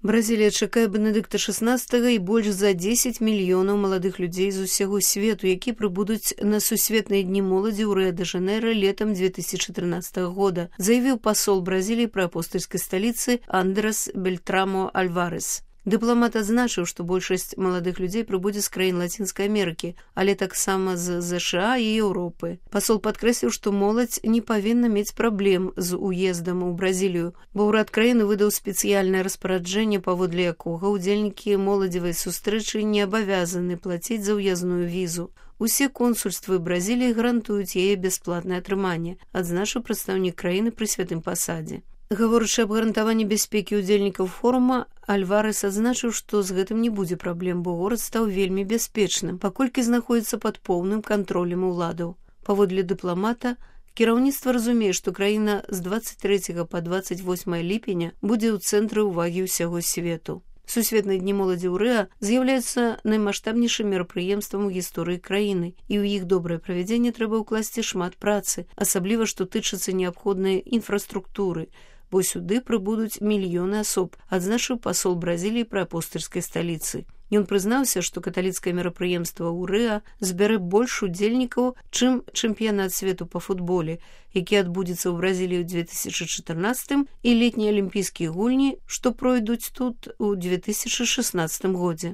Бразілія чакае Бенедыкта XVI і больш за 10 мільёнаў маладых людзей з усяго свету, які прыбудуць на сусветныя дні моладзі ў Рыа-дэ-Жанэйра летам 2014 года, заявіў пасол Бразіліі пры апостальскай сталіцы Андрес Бельтрамо Альварес. Дыпламат адзначыў, што большасць маладых людзей прыбудзе з краін Лацінскай Амерыкі, але таксама з ЗША і Еўропы. Пасол падкрэсліў, што моладзь не павінна мець праблем з уездам у Бразілію, бо ўрад краіны выдаў спецыяльнае распараджэнне, паводле якога ўдзельнікі моладзевай сустрэчы не абавязаны плаціць за ўязную візу. Усе консульствы Бразіліі гарантуюць яе бясплатнае атрыманне, адзначыў прадстаўнік краіны пры святым пасадзе. Гаворачы аб гарантаванні бяспекі ўдзельнікаў форума, Альварес адзначыў, што з гэтым не будзе праблем, бо горад стаў вельмі бяспечным, паколькі знаходзіцца пад поўным кантролем уладаў. Паводле дыпламата, кіраўніцтва разумее, што краіна з 23 па 28 ліпеня будзе ў цэнтры ўвагі ўсяго свету. Сусветныя дні моладзі ў Рыа з'яўляюцца наймаштабнейшым мерапрыемствам у гісторыі краіны, і ў іх добрае правядзенне трэба ўкласці шмат працы, асабліва што тычыцца неабходнай інфраструктуры, бо сюды прыбудуць мільёны асоб, адзначыў пасол Бразіліі пры апостальскай сталіцы. Ён прызнаўся, што каталіцкае мерапрыемства ў Рыа збярэ больш удзельнікаў, чым чэмпіянат свету па футболе, які адбудзецца ў Бразіліі ў 2014 і летнія алімпійскія гульні, што пройдуць тут у 2016 годзе.